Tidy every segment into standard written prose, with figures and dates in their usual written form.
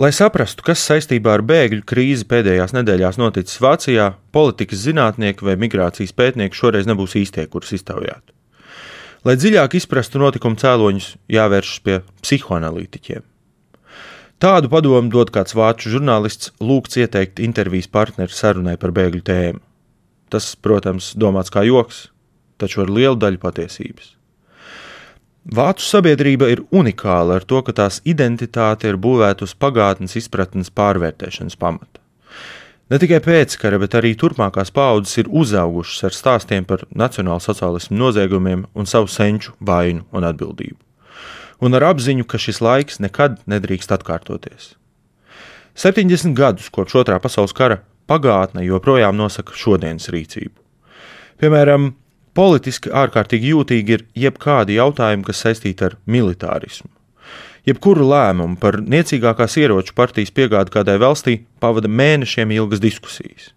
Lai saprastu, kas saistībā ar bēgļu krīzi pēdējās nedēļās noticis Vācijā, politikas zinātnieki vai migrācijas pētnieki šoreiz nebūs īstie, kurus iztaujāt. Lai dziļāk izprastu notikumu cēloņus, jāvēršas pie psihoanalītiķiem. Tādu padomu dod kāds vācu žurnālists lūgts ieteikt intervijas partneri sarunai par bēgļu tēmu. Tas, protams, domāts kā joks, taču ar lielu daļu patiesības. Vācu sabiedrība ir unikāla ar to, ka tās identitāte ir būvēta uz pagātnes izpratnes pārvērtēšanas pamata. Ne tikai pēckara, bet arī turpmākās paaudzes ir uzaugušas ar stāstiem par nacionālsociālismu noziegumiem un savu senču vainu un atbildību. Un ar apziņu, ka šis laiks nekad nedrīkst atkārtoties. 70 gadus kopš Otrā pasaules kara pagātne joprojām nosaka šodienas rīcību. Piemēram, politiski ārkārtīgi jūtīgi ir jebkādi jautājumi, kas saistīti ar militārismu. Jebkuru lēmumu par niecīgākās ieroču partijas piegādi kādai valstī pavada mēnešiem ilgas diskusijas.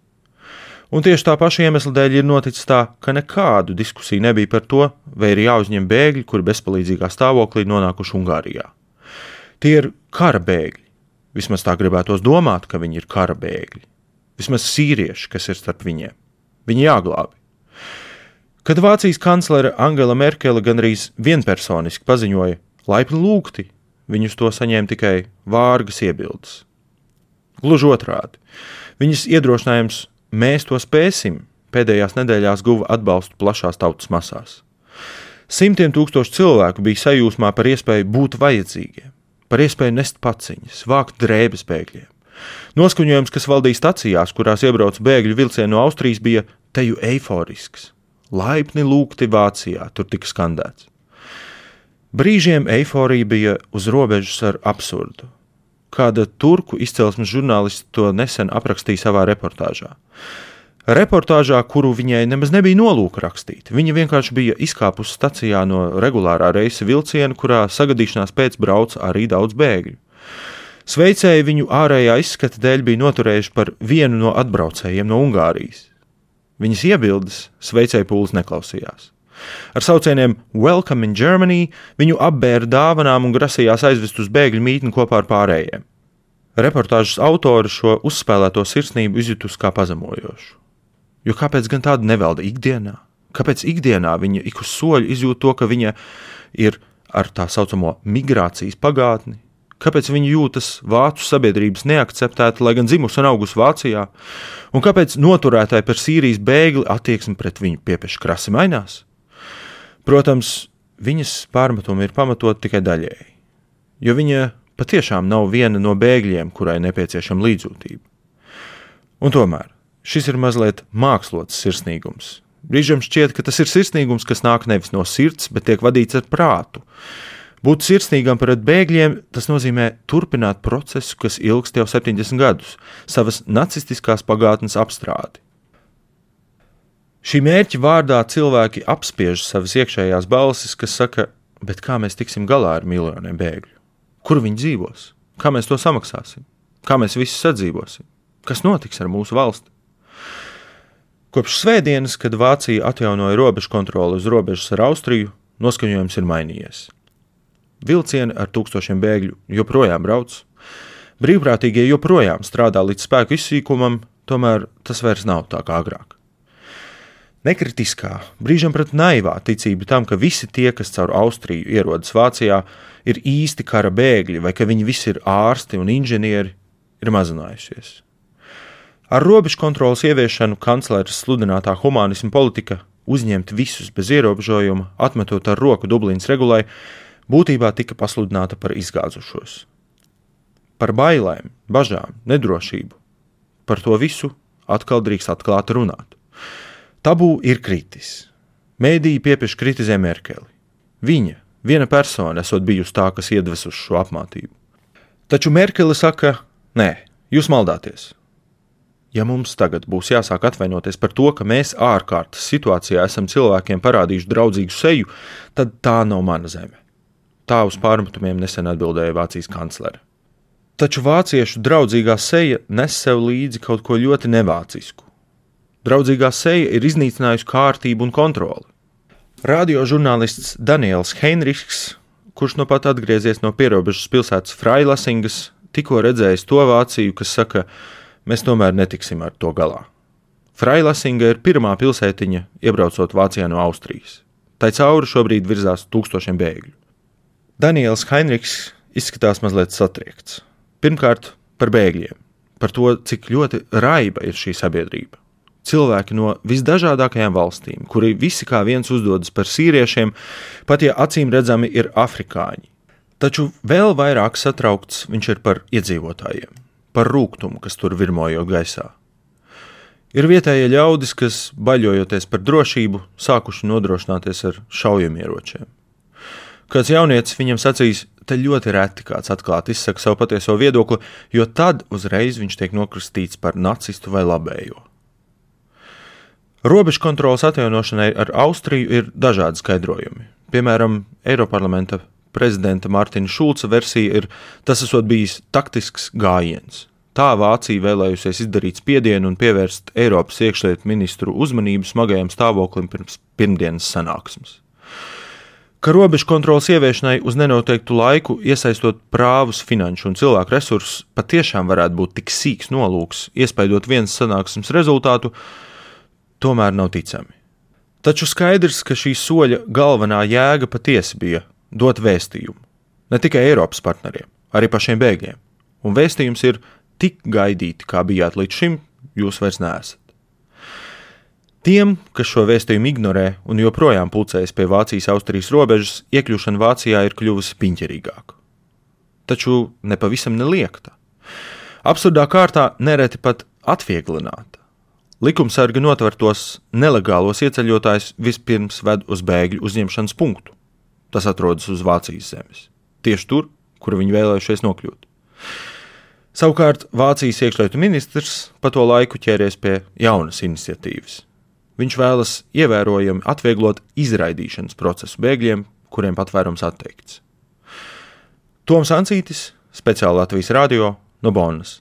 Un tieši tā paša iemesla dēļ ir noticis tā, ka nekādu diskusiju nebija par to, vai ir jāuzņem bēgļi, kuri bezpalīdzīgā stāvoklī nonākuši Ungārijā. Tie ir kara bēgļi. Vismaz tā gribētos domāt, ka viņi ir kara bēgļi. Vismaz sīrieši, kas ir starp viņiem. Viņi jāglābi. Kad Vācijas kanclere Angela Merkele gandrīz vienpersoniski paziņoja laipni lūgti, viņus to saņēma tikai vārgas iebildes. Gluži otrādi. Viņas iedrošinājums mēs to spēsim pēdējās nedēļās guva atbalstu plašās tautas masās. Simtiem tūkstoši cilvēku bija sajūsmā par iespēju būt vajadzīgiem, par iespēju nest paciņas, vākt drēbes bēgļiem. Noskaņojums, kas valdīja stacijās, kurās iebrauc bēgļu vilcieni no Austrijas, bija teju eiforisks. Laipni lūgti Vācijā, tur tika skandēts. Brīžiem eiforija bija uz robežas ar absurdu. Kāda turku izcelsmes žurnālists to nesen aprakstīja savā reportāžā. Reportāžā, kuru viņai nemaz nebija nolūka rakstīt. Viņa vienkārši bija izkāpusi stacijā no regulārā reisa vilciena, kurā sagadīšanās pēc brauca arī daudz bēgļu. Sveicēji viņu ārējā izskata dēļ bija noturējuši par vienu no atbraucējiem no Ungārijas. Viņas iebildes sveicēju pūles neklausījās. Ar saucieniem Welcome in Germany viņu apbēra dāvanām un grasījās aizvest uz bēgļu mītni kopā ar pārējiem. Reportāžas autori šo uzspēlēto sirsnību izjutusi kā pazemojošu. Jo kāpēc gan tāda nevalda ikdienā? Kāpēc ikdienā viņa ik uz soļu izjūt to, ka viņa ir ar tā saucamo migrācijas pagātni? Kāpēc viņa jūtas vācu sabiedrības neakceptēta, lai gan dzimusi un augusi Vācijā? Un kāpēc noturētāji par Sīrijas bēgli attieksmi pret viņu piepieši krasi mainās? Protams, viņas pārmetumi ir pamatot tikai daļēji, jo viņa patiešām nav viena no bēgļiem, kurai nepieciešama līdzjūtība. Un tomēr šis ir mazliet mākslots sirsnīgums. Brīžam šķiet, ka tas ir sirsnīgums, kas nāk nevis no sirds, bet tiek vadīts ar prātu. Būt sirsnīgam pret bēgļiem, tas nozīmē turpināt procesu, kas ilgst jau 70 gadus, savas nacistiskās pagātnes apstrādi. Šī mērķa vārdā cilvēki apspiež savas iekšējās balsis, kas saka, bet kā mēs tiksim galā ar miljoniem bēgļu? Kur viņi dzīvos? Kā mēs to samaksāsim? Kā mēs visi sadzīvosim? Kas notiks ar mūsu valsti? Kopš svētdienas, kad Vācija atjaunoja robežu kontroli uz robežas ar Austriju, noskaņojums ir mainījies. Vilcieni ar tūkstošiem bēgļu joprojām brauc, brīvprātīgie joprojām strādā līdz spēku izsīkumam, tomēr tas vairs nav tā kā agrāk. Nekritiskā, brīžam pat naivā ticība tam, ka visi tie, kas caur Austriju ierodas Vācijā, ir īsti kara bēgļi vai ka viņi visi ir ārsti un inženieri, ir mazinājusies. Ar robežu kontrolas ieviešanu kancleres sludinātā humānisma politika uzņemt visus bez ierobežojuma, atmetot ar roku Dublinas regulai, būtībā tika pasludināta par izgāzušos. Par bailēm, bažām, nedrošību. Par to visu atkal drīkst atklāti runāt. Tabū ir kritis. Mēdīji piepieši kritizē Merkeli. Viņa, viena persona, esot bijusi tā, kas iedvesuši šo apmātību. Taču Merkele saka, nē, jūs maldāties. Ja mums tagad būs jāsāk atvainoties par to, ka mēs ārkārtas situācijā esam cilvēkiem parādījuši draudzīgu seju, tad tā nav mana zeme. Tā uz pārmetumiem nesen atbildēja Vācijas kanclere. Taču vāciešu draudzīgā seja nes sev līdzi kaut ko ļoti nevācisku. Draudzīgā seja ir iznīcinājusi kārtību un kontroli. Radiožurnālists Daniels Heinrichs, kurš nu pat atgriezies no pierobežas pilsētas Freilasingas, tikko redzējis to Vāciju, kas saka, mēs tomēr netiksim ar to galā. Freilasinga ir pirmā pilsētiņa, iebraucot Vācijā no Austrijas. Tai cauri šobrīd virzās 1000 bēgļu. Daniels Heinrichs izskatās mazliet satriekts. Pirmkārt, par bēgļiem, par to, cik ļoti raiba ir šī sabiedrība. Cilvēki no visdažādākajām valstīm, kuri visi kā viens uzdodas par sīriešiem, pat ja acīm redzami ir afrikāņi. Taču vēl vairāk satraukts viņš ir par iedzīvotājiem, par rūgtumu, kas tur virmojot gaisā. Ir vietējie ļaudis, kas, baļojoties par drošību, sākuši nodrošināties ar šaujamieročiem. Kāds jaunietis viņam sacīs, te ļoti reti kāds atklāti izsaka savu patieso viedokli, jo tad uzreiz viņš tiek nokristīts par nacistu vai labējo. Robežu kontrolas atjaunošanai ar Austriju ir dažādi skaidrojumi. Piemēram, Eiroparlamenta prezidenta Mārtiņa Šulca versija ir, tas esot bijis taktisks gājiens. Tā Vācija vēlējusies izdarīt spiedienu un pievērst Eiropas iekšlietu ministru uzmanību smagajam stāvoklim pirms pirmdienas sanāksmes. Ka robežu kontrolas ieviešanai uz nenoteiktu laiku, iesaistot prāvus, finanšu un cilvēku resursus, patiešām varētu būt tik sīks nolūks, iespaidot vienas sanāksmes rezultātu, tomēr nav ticami. Taču skaidrs, ka šī soļa galvenā jēga patiesi bija dot vēstījumu. Ne tikai Eiropas partneriem, arī pašiem bēgļiem. Un vēstījums ir tik gaidīti, kā bijāt līdz šim, jūs vairs neesat. Tiem, kas šo vēstījumu ignorē un joprojām pulcējas pie Vācijas-Austrijas robežas, iekļūšana Vācijā ir kļuvusi piņķerīgāka. Taču nepavisam neliekta. Absurdā kārtā nereti pat atvieglināta. Likumsargi notvertos nelegālos ieceļotājus vispirms ved uz bēgļu uzņemšanas punktu. Tas atrodas uz Vācijas zemes. Tieši tur, kur viņi vēlējušies nokļūt. Savukārt Vācijas iekšlietu ministrs pa to laiku ķēries pie jaunas iniciatīvas. Viņš vēlas ievērojami atvieglot izraidīšanas procesu bēgļiem, kuriem patvērums atteikts. Toms Ancītis, speciāli Latvijas radio, no Bonnas.